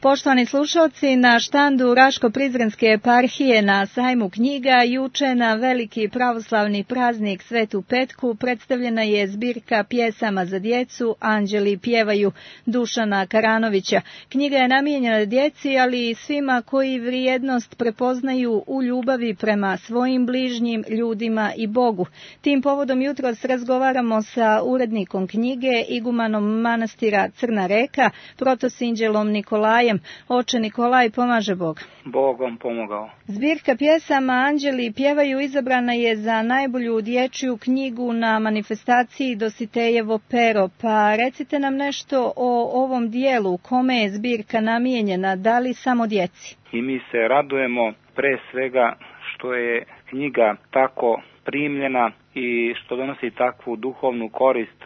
Poštovani slušalci, na štandu Raško-Prizrenske eparhije na sajmu knjiga juče na veliki pravoslavni praznik Svetu Petku predstavljena je zbirka pjesama za djecu Anđeli pjevaju Dušana Karanovića. Knjiga je namijenjena djeci, ali i svima koji vrijednost prepoznaju u ljubavi prema svojim bližnjim, ljudima i Bogu. Tim povodom jutros razgovaramo sa urednikom knjige, igumanom manastira Crna Reka, protosinđelom Nikolajem. Oče Nikolaj, pomaže Bog. Bog vam pomogao. Zbirka pjesama Anđeli pjevaju izabrana je za najbolju dječju knjigu na manifestaciji Dositejevo pero. Pa recite nam nešto o ovom dijelu, kome je zbirka namijenjena, da li samo djeci? I mi se radujemo pre svega što je knjiga tako primljena i što donosi takvu duhovnu korist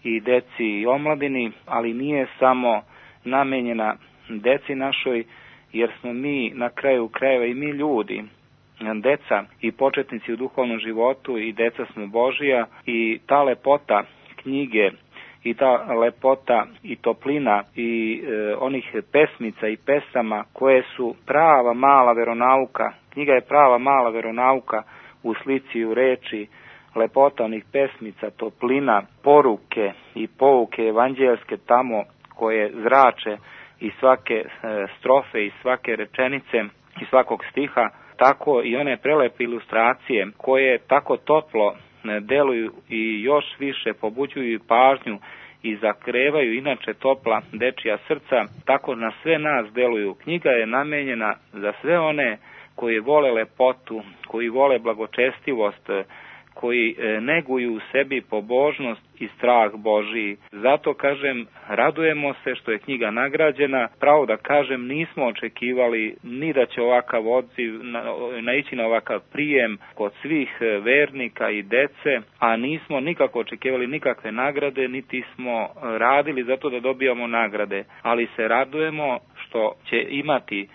i deci i omladini, ali nije samo namijenjena deci našoj, jer smo mi na kraju krajeva i mi ljudi, deca i početnici u duhovnom životu i deca smo Božija, i ta lepota knjige i ta lepota i toplina i onih pesmica i pesama koje su prava mala veronauka. Knjiga je prava mala veronauka u slici i u reči, lepota onih pesmica, toplina, poruke i pouke evanđelske tamo koje zrače i svake strofe i svake rečenice i svakog stiha, tako i one prelepe ilustracije koje tako toplo deluju i još više pobuđuju pažnju i zakrevaju inače topla dečija srca, tako na sve nas deluju. Knjiga je namenjena za sve one koji vole lepotu, koji vole blagočestivost, koji neguju u sebi pobožnost i strah Božiji. Zato kažem, radujemo se što je knjiga nagrađena. Pravo da kažem, nismo očekivali ni da će ovakav odziv naići na ovakav prijem kod svih vernika i dece, a nismo nikako očekivali nikakve nagrade, niti smo radili zato da dobijamo nagrade. Ali se radujemo što će imati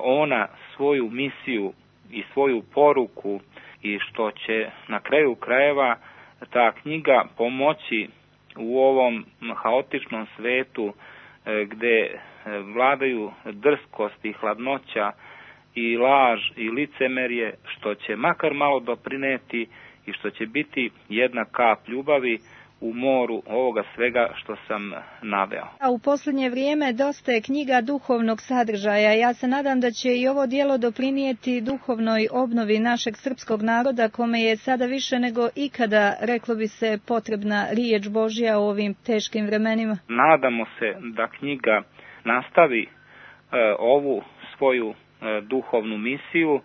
ona svoju misiju i svoju poruku, i što će na kraju krajeva ta knjiga pomoći u ovom haotičnom svetu gdje vladaju drskost i hladnoća i laž i licemerje, što će makar malo doprineti i što će biti jedna kap ljubavi u moru ovoga svega što sam naveo. A u posljednje vrijeme dosta je knjiga duhovnog sadržaja. Ja se nadam da će i ovo djelo doprinijeti duhovnoj obnovi našeg srpskog naroda, kome je sada više nego ikada, reklo bi se, potrebna riječ Božja u ovim teškim vremenima. Nadamo se da knjiga nastavi ovu svoju duhovnu misiju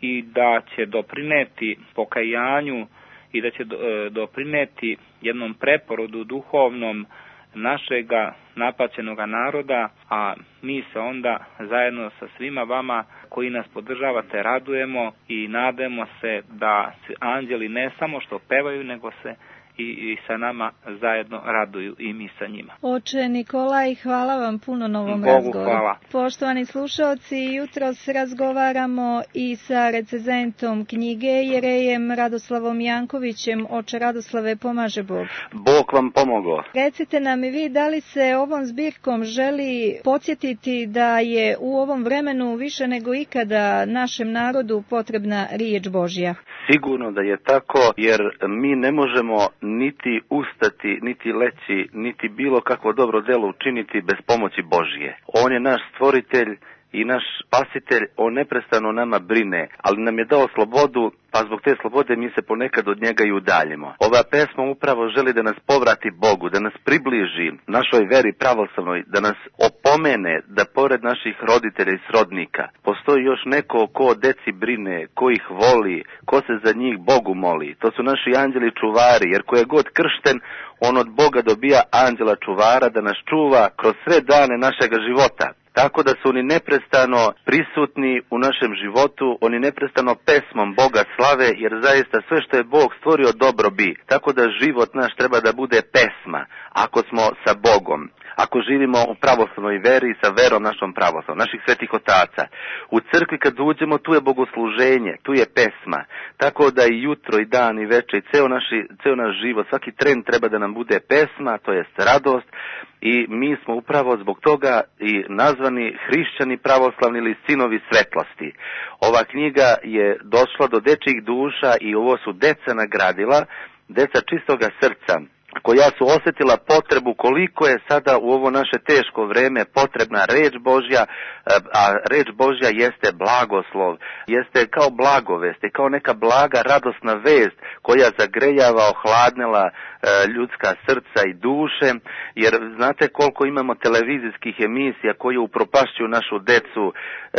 i da će doprineti pokajanju i da će doprineti jednom preporodu duhovnom našega napaćenoga naroda, a mi se onda zajedno sa svima vama koji nas podržavate radujemo i nadamo se da se anđeli ne samo što pevaju, nego se i sa nama zajedno raduju i mi sa njima. Oče Nikolaj, hvala vam puno na ovom Bogu razgovoru. Hvala. Poštovani slušalci, jutros razgovaramo i sa recenzentom knjige Jerejem Radoslavom Jankovićem. Oče Radoslave, pomaže Bog. Bog vam pomogao. Recite nam i vi, da li se ovom zbirkom želi podsjetiti da je u ovom vremenu više nego ikada našem narodu potrebna riječ Božja? Sigurno da je tako, jer mi ne možemo niti ustati, niti leći, niti bilo kakvo dobro delo učiniti bez pomoći Božje. On je naš stvoritelj i naš spasitelj, on neprestano nama brine, ali nam je dao slobodu, pa zbog te slobode mi se ponekad od njega i udaljimo. Ova pesma upravo želi da nas povrati Bogu, da nas približi našoj veri pravoslavnoj, da nas opomene da pored naših roditelja i srodnika postoji još neko ko o deci brine, ko ih voli, ko se za njih Bogu moli. To su naši anđeli čuvari, jer ko je god kršten, on od Boga dobija anđela čuvara da nas čuva kroz sve dane našega života. Tako da su oni neprestano prisutni u našem životu, oni neprestano pesmom Boga slave, jer zaista sve što je Bog stvorio dobro bi. Tako da život naš treba da bude pesma, ako smo sa Bogom. ako živimo u pravoslavnoj veri sa verom našom pravoslavnom, naših svetih otaca. U crkvi kad uđemo, tu je bogosluženje, tu je pesma, tako da i jutro, i dan, i večer, i ceo naš život, svaki tren treba da nam bude pesma, to jest radost, i mi smo upravo zbog toga i nazvani hrišćani pravoslavni ili sinovi svetlosti. Ova knjiga je došla do dečjih duša i ovo su deca nagradila, deca čistoga srca, koja su osjetila potrebu koliko je sada u ovo naše teško vreme potrebna reč Božja, a reč Božja jeste blagoslov, jeste kao blagovest, kao neka blaga radosna vest koja zagrejava, ohladnila ljudska srca i duše, jer znate koliko imamo televizijskih emisija koje upropašćuju našu decu,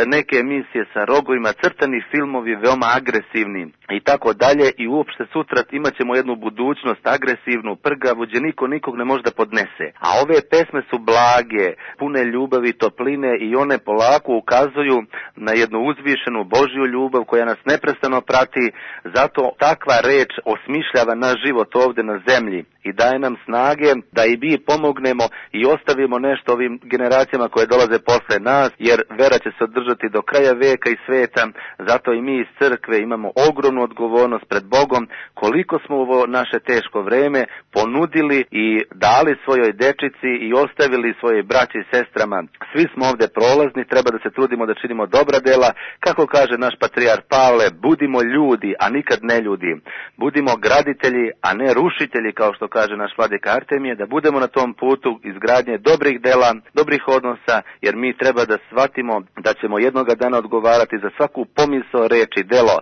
neke emisije sa rogovima, crtani filmovi veoma agresivni i tako dalje, i uopšte sutra imat ćemo jednu budućnost agresivnu, prgavu, gdje niko nikog ne može da podnese. A ove pesme su blage, pune ljubavi, topline, i one polako ukazuju na jednu uzvišenu Božju ljubav koja nas neprestano prati. Zato takva reč osmišljava naš život ovde na zemlji i daje nam snage da i mi pomognemo i ostavimo nešto ovim generacijama koje dolaze posle nas, jer vera će se održati do kraja veka i sveta. Zato i mi iz crkve imamo ogromnu odgovornost pred Bogom koliko smo u ovo naše teško vreme ponudili i dali svojoj dečici i ostavili svojoj braći i sestrama. Svi smo ovde prolazni, treba da se trudimo da činimo dobra dela. Kako kaže naš patrijarh Pavle, budimo ljudi, a nikad ne ljudi. Budimo graditelji, a ne rušitelji, kao što kaže naš vladika Artemije, da budemo na tom putu izgradnje dobrih dela, dobrih odnosa, jer mi treba da shvatimo da ćemo jednoga dana odgovarati za svaku pomisao, reč i delo.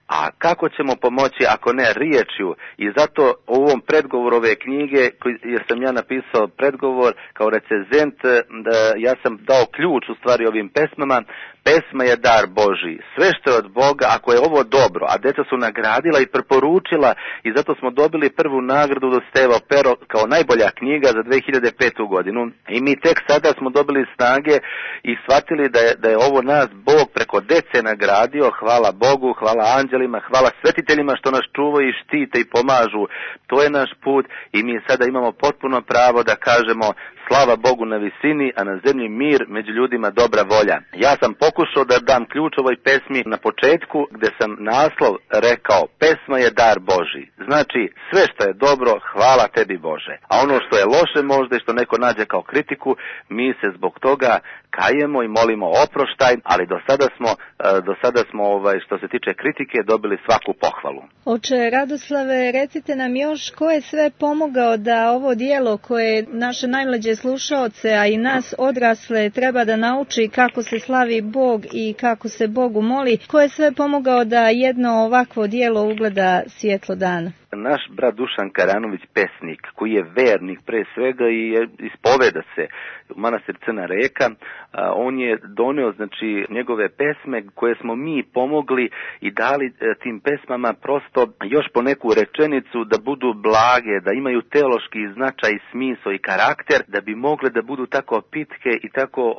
A kako ćemo pomoći ako ne riječju? I zato u ovom predgovoru ove knjige, jer sam ja napisao predgovor kao recenzent, ja sam dao ključ u stvari ovim pesmama. Pesma je dar Božji. Sve što je od Boga, ako je ovo dobro, a deca su nagradila i preporučila, i zato smo dobili prvu nagradu do Stevo Pero kao najbolja knjiga za 2005. godinu. I mi tek sada smo dobili snage i shvatili da je ovo nas Bog preko dece nagradio. Hvala Bogu, hvala anđelima, hvala svetiteljima što nas čuvaju i štite i pomažu. To je naš put i mi sada imamo potpuno pravo da kažemo slava Bogu na visini, a na zemlji mir, među ljudima dobra volja. Ja sam pokušao da dam ključ ovoj pesmi na početku, gde sam naslov rekao, pesma je dar Božji. Znači, sve što je dobro, hvala tebi Bože. A ono što je loše možda i što neko nađe kao kritiku, mi se zbog toga kajemo i molimo oproštaj, ali do sada smo što se tiče kritike dobili svaku pohvalu. Oče Radoslave, recite nam još ko je sve pomogao da ovo dijelo koje naše najmlađe slušaoce, a i nas odrasle treba da nauči kako se slavi Bog i kako se Bogu moli, ko je sve pomogao da jedno ovakvo dijelo ugleda svjetlo dana? Naš brat Dušan Karanović, pesnik, koji je vernik pre svega i ispoveda se u manastir Crna Reka, on je doneo njegove pesme koje smo mi pomogli i dali tim pesmama prosto još po neku rečenicu da budu blage, da imaju teološki značaj, smisao i karakter, da bi mogle da budu tako pitke i tako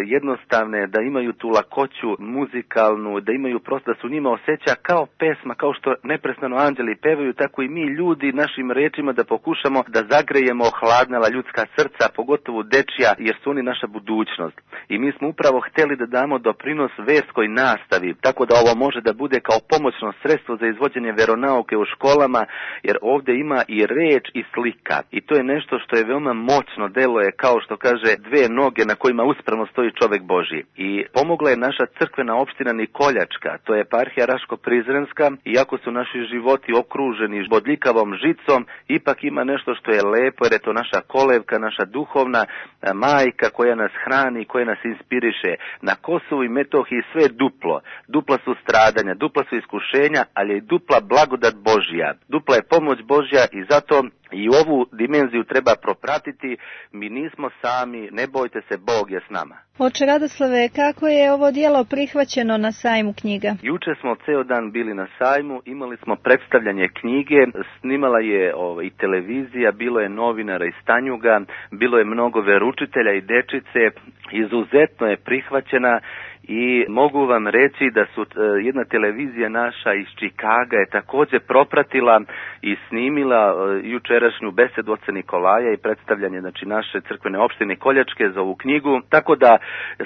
jednostavne, da imaju tu lakoću muzikalnu, da imaju prosto da su njima osjeća kao pesma, kao što neprestano anđeli pevaju, tako i mi ljudi našim rečima da pokušamo da zagrejemo ohladnela ljudska srca, pogotovo dečja, jer su oni naša budućnost. I mi smo upravo hteli da damo doprinos verskoj nastavi, tako da ovo može da bude kao pomoćno sredstvo za izvođenje veronauke u školama, jer ovdje ima i reč i slika. I to je nešto što je veoma moćno, deluje kao što kaže dve noge na kojima uspravno stoji čovek Božji. I pomogla je naša crkvena opština Nikoljačka, to je eparhija Raško-Prizrenska, iako su naši životi okruženi bodljikavom žicom, ipak ima nešto što je lepo, jer je to naša kolevka, naša duhovna majka koja nas hrani, koja nas inspiriše. Na Kosovu i Metohiji sve je duplo. Dupla su stradanja, dupla su iskušenja, ali je i dupla blagodat Božja. Dupla je pomoć Božja i zato i ovu dimenziju treba propratiti. Mi nismo sami, ne bojte se, Bog je s nama. Oče Radoslave, kako je ovo dijelo prihvaćeno na sajmu knjiga? Juče smo ceo dan bili na sajmu, imali smo predstavljanje knjige, snimala je i televizija, bilo je novinara iz Tanjuga, bilo je mnogo veručitelja i dečice, izuzetno je prihvaćena i mogu vam reći da su jedna televizija naša iz Čikaga je također propratila i snimila jučerašnju besedu oca Nikolaja i predstavljanje znači naše crkvene opštine Koljačke za ovu knjigu, tako da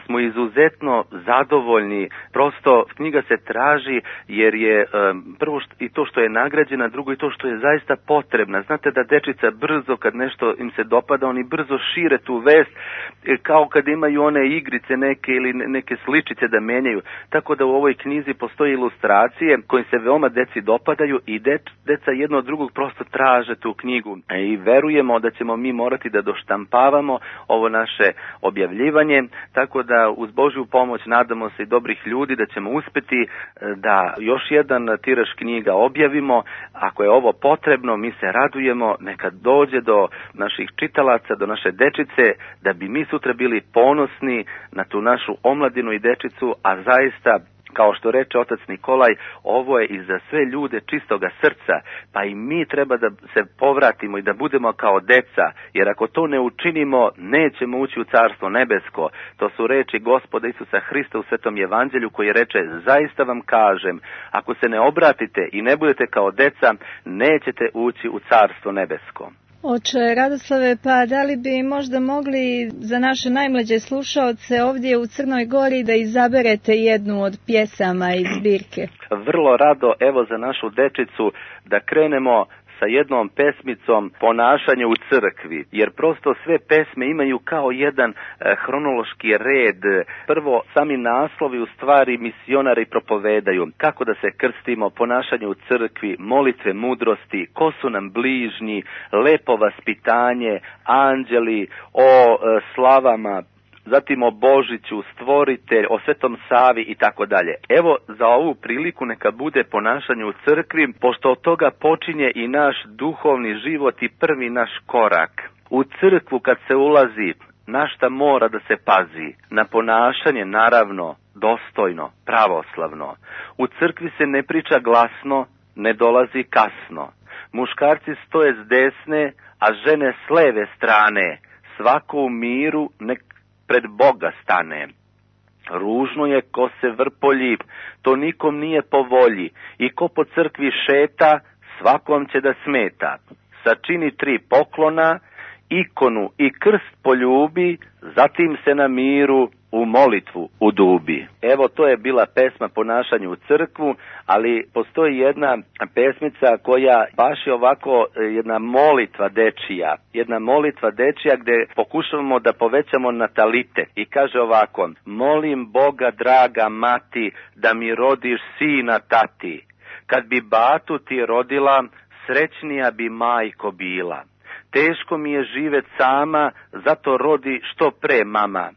smo izuzetno zadovoljni. Prosto knjiga se traži jer je prvo i to što je nagrađena, drugo i to što je zaista potrebna. Znate da dečica brzo kad nešto im se dopada, oni brzo šire tu vest, kao kad imaju one igrice neke ili neke sličice da menjaju. Tako da u ovoj knjizi postoje ilustracije koje se veoma deci dopadaju i deca jedno od drugog prosto traže tu knjigu. I verujemo da ćemo mi morati da doštampavamo ovo naše objavljivanje, tako da uz Božju pomoć nadamo se i dobrih ljudi da ćemo uspeti da još jedan tiraž knjiga objavimo. Ako je ovo potrebno, mi se radujemo, neka dođe do naših čitalaca, do naše dečice, da bi mi sutra bili ponosni na tu našu omladinu i dečicu, a zaista, kao što reče otac Nikolaj, ovo je i za sve ljude čistoga srca, pa i mi treba da se povratimo i da budemo kao deca, jer ako to ne učinimo, nećemo ući u Carstvo nebesko. To su reči Gospoda Isusa Hrista u Svetom Evanđelju koji reče, zaista vam kažem, ako se ne obratite i ne budete kao deca, nećete ući u Carstvo nebesko. Oče Radoslave, pa da li bi možda mogli za naše najmlađe slušaoce ovdje u Crnoj Gori da izaberete jednu od pjesama iz zbirke? Vrlo rado, evo za našu dečicu, da krenemo sa jednom pesmicom Ponašanje u crkvi, jer prosto sve pesme imaju kao jedan hronološki red. Prvo, sami naslovi u stvari misionari propovedaju kako da se krstimo, ponašanje u crkvi, molitve mudrosti, ko su nam bližnji, lepo vaspitanje, anđeli, o slavama, zatim o Božiću, stvoritelj, o Svetom Savi i tako dalje. Evo za ovu priliku neka bude ponašanje u crkvi, pošto od toga počinje i naš duhovni život i prvi naš korak. U crkvu kad se ulazi, na šta mora da se pazi? Na ponašanje, naravno, dostojno, pravoslavno. U crkvi se ne priča glasno, ne dolazi kasno. Muškarci stoje s desne, a žene s leve strane. Svako u miru nek pred Boga stane. Ružno je ko se vrpolji, to nikom nije po volji. I ko po crkvi šeta, svakom će da smeta. Sačini 3 poklona, ikonu i krst poljubi, zatim se na miru u molitvu udubi. Evo, to je bila pesma Ponašanje u crkvu, ali postoji jedna pesmica koja baš je ovako jedna molitva dečija gdje pokušavamo da povećamo natalitet. I kaže ovako: molim Boga draga mati da mi rodiš sina tati. Kad bi batu ti rodila, srećnija bi majko bila. Teško mi je živjet sama, zato rodi što pre mama.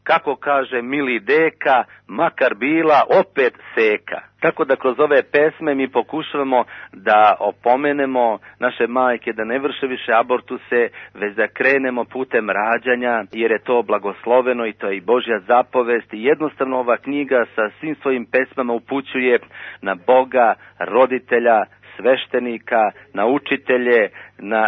Kako kaže mili deka, makar bila opet seka. Tako da kroz ove pesme mi pokušavamo da opomenemo naše majke da ne vrše više abortuse, već da krenemo putem rađanja, jer je to blagosloveno i to je i Božja zapovest. I jednostavno ova knjiga sa svim svojim pesmama upućuje na Boga, roditelja, sveštenika, na učitelje,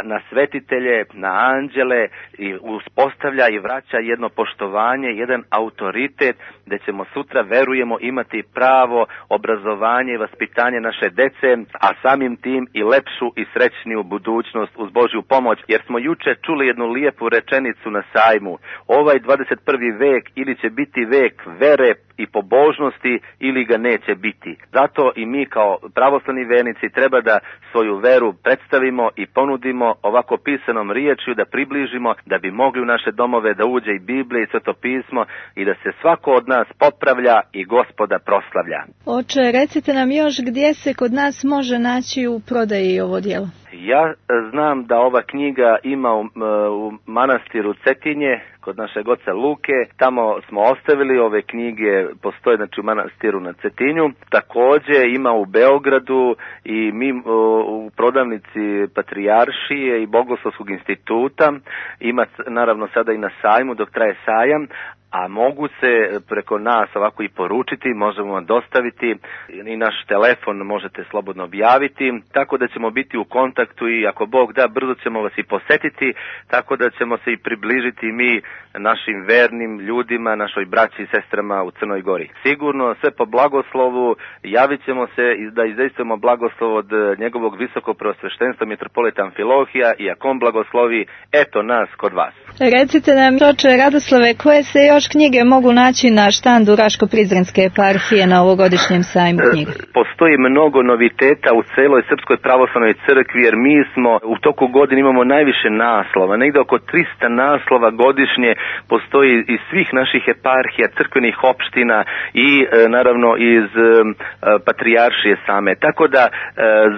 na svetitelje, na anđele, i uspostavlja i vraća jedno poštovanje, jedan autoritet, gdje ćemo sutra, verujemo, imati pravo obrazovanje i vaspitanje naše dece, a samim tim i lepšu i srećniju budućnost uz Božju pomoć, jer smo juče čuli jednu lijepu rečenicu na sajmu: ovaj 21. vek ili će biti vek vere i pobožnosti ili ga neće biti. Zato i mi kao pravoslavni vernici treba da svoju veru predstavimo i ponudimo ovako pisanom riječju, da približimo, da bi mogli u naše domove da uđe i Biblija i Sveto pismo i da se svako od nas popravlja i Gospoda proslavlja. Oče, recite nam još gdje se kod nas može naći u prodaji ovo djelo. Ja znam da ova knjiga ima u manastiru Cetinje, kod našeg oca Luke. Tamo smo ostavili ove knjige, postoje znači u manastiru na Cetinju. Također ima u Beogradu i mi u prodavnici Patrijaršije i Bogoslovskog instituta. Ima naravno sada i na sajmu dok traje sajam. a mogu se preko nas ovako i poručiti, možemo vam dostaviti i naš telefon možete slobodno objaviti, tako da ćemo biti u kontaktu i ako Bog da, brzo ćemo vas i posetiti, tako da ćemo se i približiti mi našim vernim ljudima, našoj braći i sestrama u Crnoj Gori. Sigurno sve po blagoslovu, javit ćemo se da izdejstvujemo blagoslov od njegovog visokog preosveštenstva mitropolita Amfilohija i ako on blagoslovi, eto nas kod vas. Recite nam, oče Radoslave, koje se još knjige mogu naći na štandu Raško-Prizrenske eparhije na ovogodišnjem sajmu knjiga? Postoji mnogo noviteta u celoj Srpskoj pravoslavnoj crkvi, jer mi smo u toku godine imamo najviše naslova, negde oko 300 naslova godišnje postoji iz svih naših eparhija, crkvenih opština i naravno iz patrijaršije same. Tako da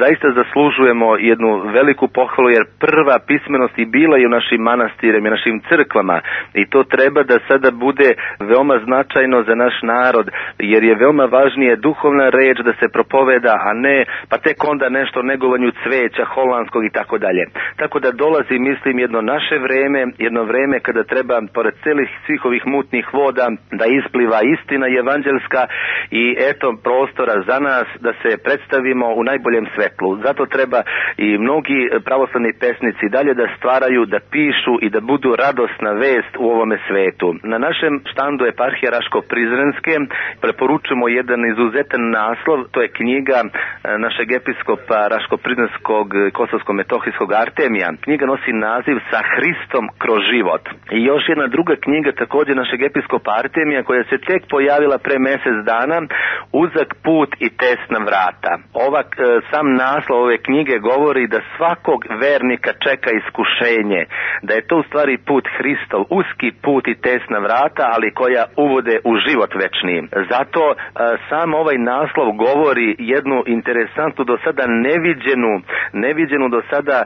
zaista zaslužujemo jednu veliku pohvalu, jer prva pismenost i bila je u našim manastirima i našim crkvama i to treba da sada bude veoma značajno za naš narod, jer je veoma važnije duhovna reč da se propoveda, a ne pa tek onda nešto o negovanju cveća, holandskog i tako dalje. Tako da dolazi, mislim, jedno naše vreme, jedno vreme kada treba pored celih svih ovih mutnih voda da ispliva istina evanđelska i eto prostora za nas da se predstavimo u najboljem svetlu. Zato treba i mnogi pravoslavni pesnici dalje da stvaraju, da pišu i da budu radosna vest u ovome svetu. Na našem štandu eparhije Raško-Prizrenske preporučujemo jedan izuzetan naslov, to je knjiga našeg episkopa Raško-Prizrenskog Kosovsko-Metohijskog Artemija. Knjiga nosi naziv Sa Hristom kroz život. I još jedna druga knjiga također našeg episkopa Artemija koja se tek pojavila pre mesec dana, Uzak put i tesna vrata. Sam naslov ove knjige govori da svakog vernika čeka iskušenje, da je to u stvari put Hristov, uski put i tesna vrata, ali koja uvode u život večni. Zato sam ovaj naslov govori jednu interesantnu do sada neviđenu do sada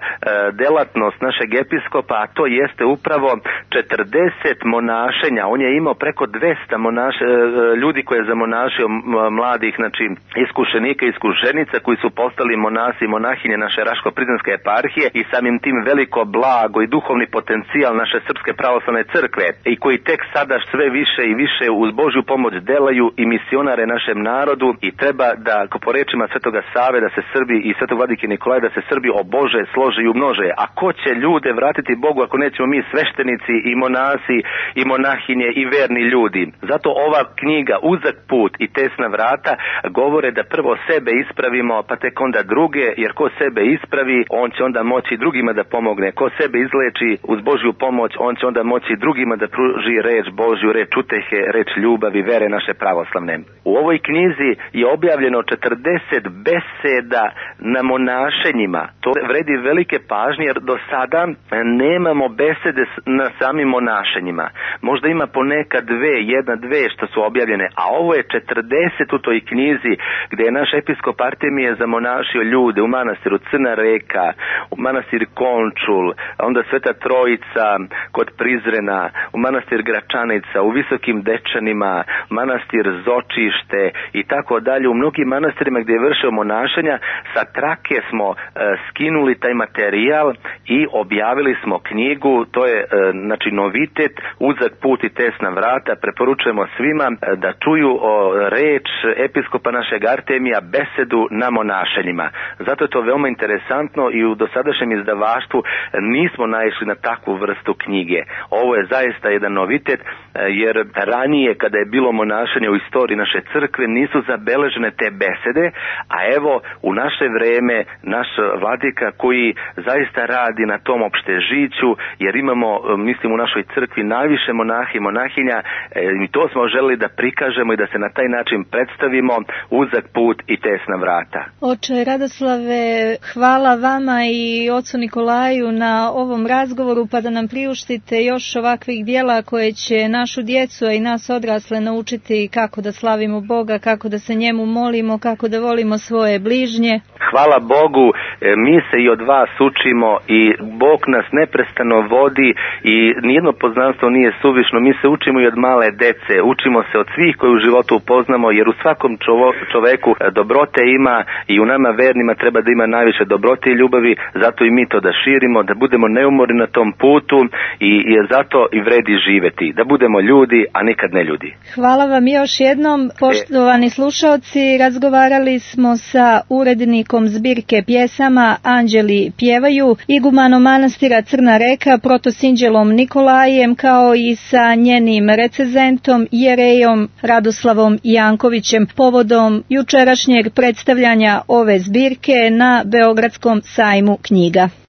delatnost našeg episkopa, a to jeste upravo 40 monašenja. On je imao preko 200 ljudi koje je zamonašio mladih, znači iskušenika i iskušenica koji su postali monasi i monahinje naše Raško-Prizrenske eparhije i samim tim veliko blago i duhovni potencijal naše Srpske pravoslavne crkve i koji tek sada sve više i više uz Božju pomoć delaju i misionare našem narodu i treba da, ako po rečima Svetoga Save, da se Srbi i Svetog vladike Nikolaja da se Srbi obože, slože i umnože. A ko će ljude vratiti Bogu ako nećemo mi sveštenici i monasi i monahinje i verni ljudi? Zato ova knjiga Uzak put i tesna vrata govore da prvo sebe ispravimo, pa tek onda druge, jer ko sebe ispravi, on će onda moći drugima da pomogne. Ko sebe izleči uz Božju pomoć, on će onda moći drugima da pruži reč Božju, reč utehe, reč ljubavi, vere naše pravoslavne. U ovoj knjizi je objavljeno 40 beseda na monašenjima. To vredi velike pažnje, jer do sada nemamo besede na samim monašenjima. Možda ima poneka dve što su objavljene, a ovo je 40 u toj knjizi gde je naš episkop Artemije zamonašio ljude u manastiru Crna Reka, u manastir Končul, onda Sveta Trojica kod Prizrena, u manastir Gračanica, u Visokim Dečanima, manastir Zočište i tako dalje. U mnogim manastirima gdje je vršio monašenja, sa trake smo skinuli taj materijal i objavili smo knjigu. To je znači novitet, Uzak put i tesna vrata. Preporučujemo svima da čuju reč episkopa našeg Artemija, besedu na monašenjima. Zato je to veoma interesantno i u dosadašnjem izdavaštvu nismo naišli na takvu vrstu knjige. Ovo je zaista jedan novitet, jer ranije kada je bilo monašenje u istoriji naše crkve nisu zabeležene te besede, a evo u naše vreme naš vladika koji zaista radi na tom opštežiću, jer imamo, mislim, u našoj crkvi najviše monaha i monahinja i to smo želeli da prikažemo i da se na taj način predstavimo, Uzak put i tesna vrata. Oče Radoslave, hvala vama i ocu Nikolaju na ovom razgovoru, pa da nam priuštite još ovakvih dijela koje će našu djecu i nas odrasle naučiti kako da slavimo Boga, kako da se njemu molimo, kako da volimo svoje bližnje. Hvala Bogu, mi se i od vas učimo i Bog nas neprestano vodi i nijedno poznanstvo nije suvišno. Mi se učimo i od male dece, učimo se od svih koji u životu upoznamo, jer u svakom čoveku dobrote ima i u nama vernima treba da ima najviše dobrote i ljubavi, zato i mi to da širimo, da budemo neumorni na tom putu i zato i vredi živeti. Da budemo ljudi, a nikad ne ljudi. Hvala vam još jednom, poštovani slušaoci. Razgovarali smo sa urednikom zbirke pjesama Anđeli pjevaju, igumanom manastira Crna Reka, protosinđelom Nikolajem, kao i sa njenim recenzentom Jerejom Radoslavom Jankovićem povodom jučerašnjeg predstavljanja ove zbirke na Beogradskom sajmu knjiga.